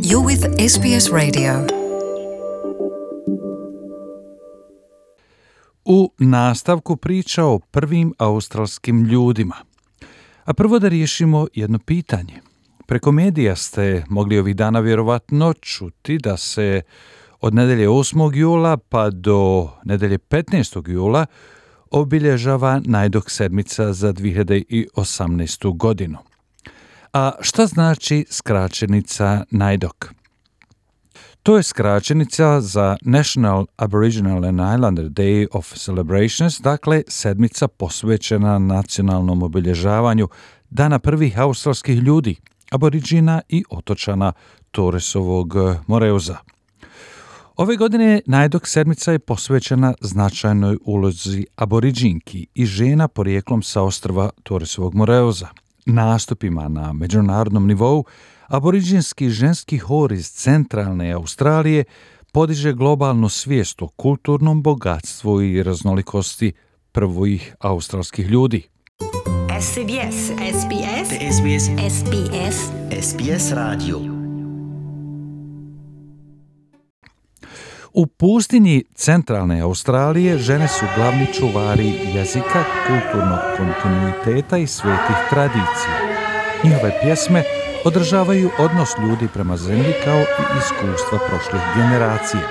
You're with SBS Radio. U nastavku priča o prvim australskim ljudima. A prvo da riješimo jedno pitanje. Preko medija ste mogli ovih dana vjerovatno čuti da se od nedelje 8. jula pa do nedelje 15. jula obilježava Najdok sedmica za 2018. godinu. A šta znači skraćenica Najdok? To je skraćenica za National Aboriginal and Islander Day of Celebrations, dakle sedmica posvećena nacionalnom obilježavanju Dana prvih australskih ljudi, aboriđina i otočana Torresovog Moreuza. Ove godine Najdok sedmica je posvećena značajnoj ulozi aboriđinki i žena porijeklom sa ostrva Torresovog Moreuza. Nastupima na međunarodnom nivou aboriđinski ženski hor iz centralne Australije podiže globalnu svijest o kulturnom bogatstvu i raznolikosti prvih australskih ljudi. SBS SBS SBS SBS SBS Radio. U pustinji centralne Australije žene su glavni čuvari jezika, kulturnog kontinuiteta i svetih tradicija. Njihove pjesme održavaju odnos ljudi prema zemlji kao i iskustva prošlih generacija.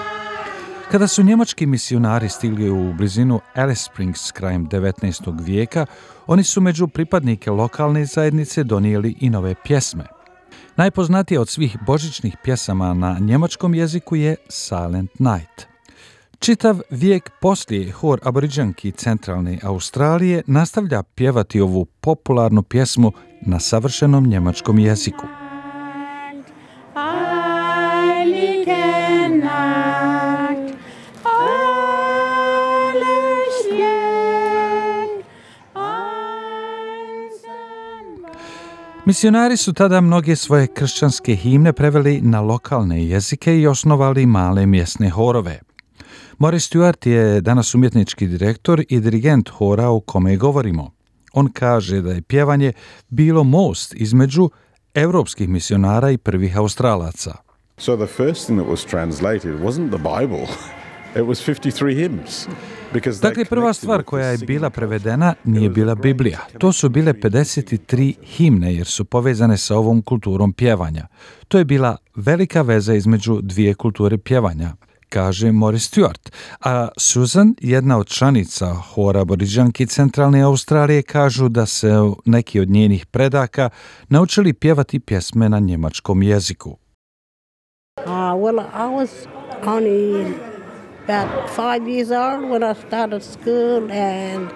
Kada su njemački misionari stigli u blizinu Alice Springs krajem 19. vijeka, oni su među pripadnike lokalne zajednice donijeli i nove pjesme. Najpoznatija od svih božićnih pjesama na njemačkom jeziku je Silent Night. Čitav vijek poslije hor aboriđanki centralne Australije nastavlja pjevati ovu popularnu pjesmu na savršenom njemačkom jeziku. Misionari su tada mnoge svoje kršćanske himne preveli na lokalne jezike i osnovali male mjesne horove. Morris Stewart je danas umjetnički direktor i dirigent hora o kome govorimo. On kaže da je pjevanje bilo most između evropskih misionara i prvih Australaca. So the first thing that was translated wasn't the Bible. It was 53 hymns. Dakle, prva stvar koja je bila prevedena nije bila Biblija. To su bile 53 himne jer su povezane sa ovom kulturom pjevanja. To je bila velika veza između dvije kulture pjevanja, kaže Morris Stewart. A Susan, jedna od članica hora aboriđanki centralne Australije, kažu da se neki od njenih predaka naučili pjevati pjesme na njemačkom jeziku. Well, I was only about 5 years old when I started school and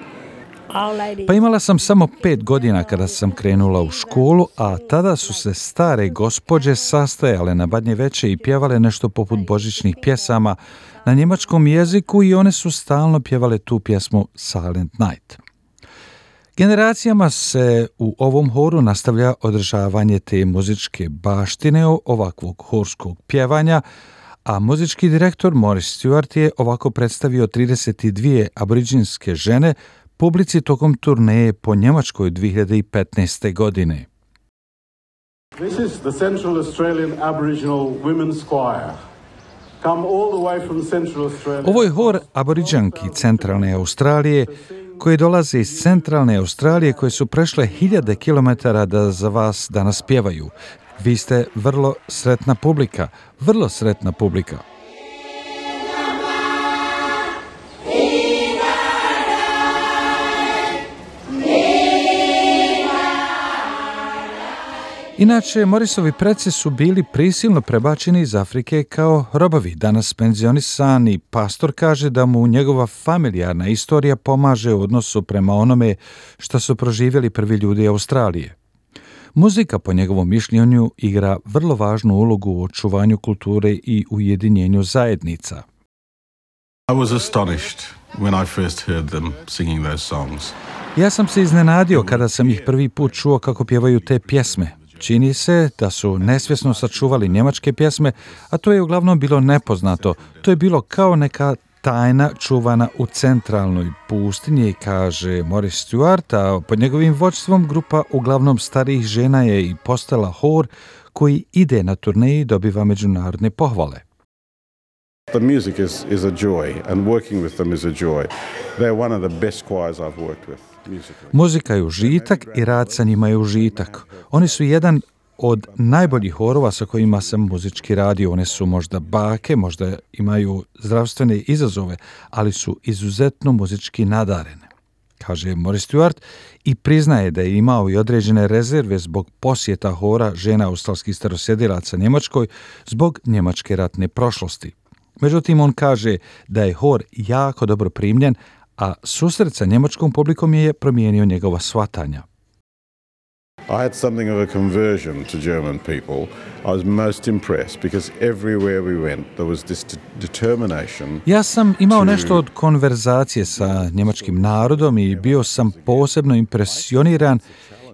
Pa imala sam samo 5 godina kada sam krenula u školu, a tada su se stare gospođe sastajale na Badnje veće i pjevale nešto poput božićnih pjesama na njemačkom jeziku i one su stalno pjevale tu pjesmu Silent Night. Generacijama se u ovom horu nastavlja održavanje te muzičke baštine ovakvog horskog pjevanja, a muzički direktor Morris Stewart je ovako predstavio 32 aboriđinske žene publici tokom turneje po Njemačkoj 2015. godine. This is the Central Australian Aboriginal Women's Choir. Come all the way from Central Australia. Ovo je hor aboriđanki centralne Australije koje dolaze iz centralne Australije koje su prešle hiljade kilometara da za vas danas pjevaju. Vi ste vrlo sretna publika, vrlo sretna publika. Inače, Morrisovi preci su bili prisilno prebačeni iz Afrike kao robovi. Danas penzionisani pastor kaže da mu njegova familijarna istorija pomaže u odnosu prema onome što su proživjeli prvi ljudi Australije. Muzika, po njegovom mišljenju, igra vrlo važnu ulogu u očuvanju kulture i ujedinjenju zajednica. I was astonished when I first heard them singing those songs. Ja sam se iznenadio kada sam ih prvi put čuo kako pjevaju te pjesme. Čini se da su nesvjesno sačuvali njemačke pjesme, a to je uglavnom bilo nepoznato. To je bilo kao neka tajna čuvana u centralnoj pustinji, kaže Morris Stewart, a pod njegovim vođstvom grupa uglavnom starijih žena je i postala hor koji ide na turneji dobiva međunarodne pohvale. The music is a joy, and working with them is a joy. They're one of the best choirs I've worked with. Muzika je užitak i rad sa njima je užitak. Oni su jedan od najboljih horova sa kojima sam muzički radio. One su možda bake, možda imaju zdravstvene izazove, ali su izuzetno muzički nadarene, kaže Morris Stewart i priznaje da je imao i određene rezerve zbog posjeta hora žena australskih starosjedilaca Njemačkoj zbog njemačke ratne prošlosti. Međutim, on kaže da je hor jako dobro primljen, a susret sa njemačkom publikom je promijenio njegova shvatanja. I had something of a conversion to German people. I was most impressed because everywhere we went there was this determination. Ja sam imao nešto od konverzacije sa njemačkim narodom i bio sam posebno impresioniran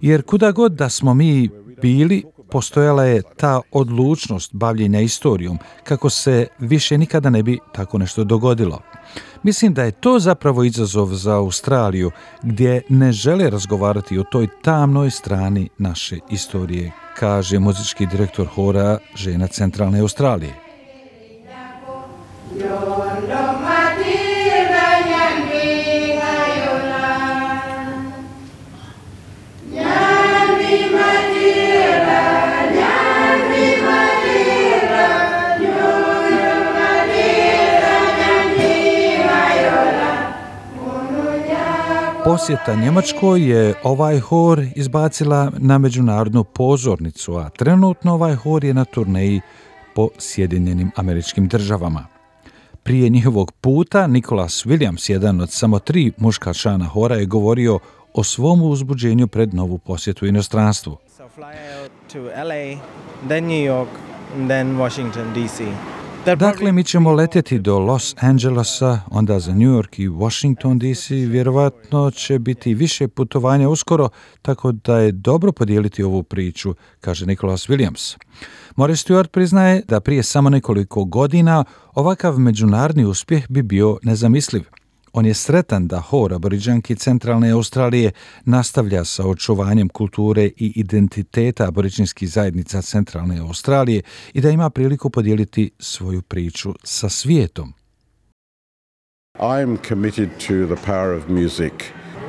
jer kuda god da smo mi bili, postojala je ta odlučnost bavljenja istorijom, kako se više nikada ne bi tako nešto dogodilo. Mislim da je to zapravo izazov za Australiju, gdje ne žele razgovarati o toj tamnoj strani naše istorije, kaže muzički direktor hora žena Centralne Australije. Posjeta Njemačkoj je ovaj hor izbacila na međunarodnu pozornicu, a trenutno ovaj hor je na turneji po Sjedinjenim Američkim Državama. Prije njihovog puta Nicholas Williams, jedan od samo 3 muška člana hora, je govorio o svom uzbuđenju pred novu posjetu inostranstvu. Dakle, mi ćemo letjeti do Los Angelesa, onda za New York i Washington DC. Vjerovatno će biti više putovanja uskoro, tako da je dobro podijeliti ovu priču, kaže Nicholas Williams. Morris Stewart priznaje da prije samo nekoliko godina ovakav međunarodni uspjeh bi bio nezamisliv. On je sretan da hor Aboriđanki Centralne Australije nastavlja sa očuvanjem kulture i identiteta aboriđinskih zajednica Centralne Australije i da ima priliku podijeliti svoju priču sa svijetom. I'm committed to the power of music,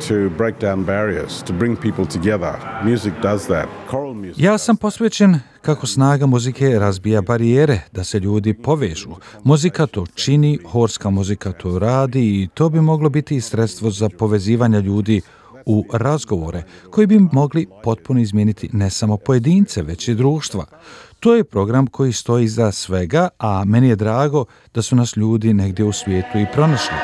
to break down barriers, to bring people together. Music does that. Choral music. Ja sam posvećen kako snaga muzike razbija barijere, da se ljudi povežu. Muzika to čini, horska muzika to radi i to bi moglo biti i sredstvo za povezivanje ljudi u razgovore koji bi mogli potpuno izmijeniti ne samo pojedince, već i društva. To je program koji stoji iza svega, a meni je drago da su nas ljudi negdje u svijetu i pronašli.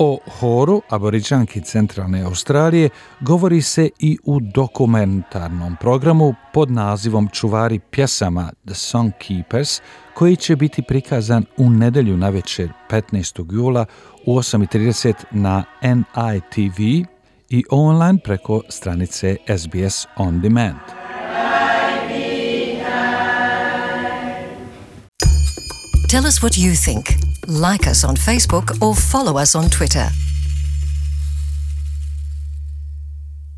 O horu Aboriđanki Centralne Australije govori se i u dokumentarnom programu pod nazivom Čuvari pjesama The Song Keepers, koji će biti prikazan u nedjelju navečer 15. jula u 8:30 na NITV i online preko stranice SBS On Demand. Tell us what you think. Like us on Facebook or follow us on Twitter.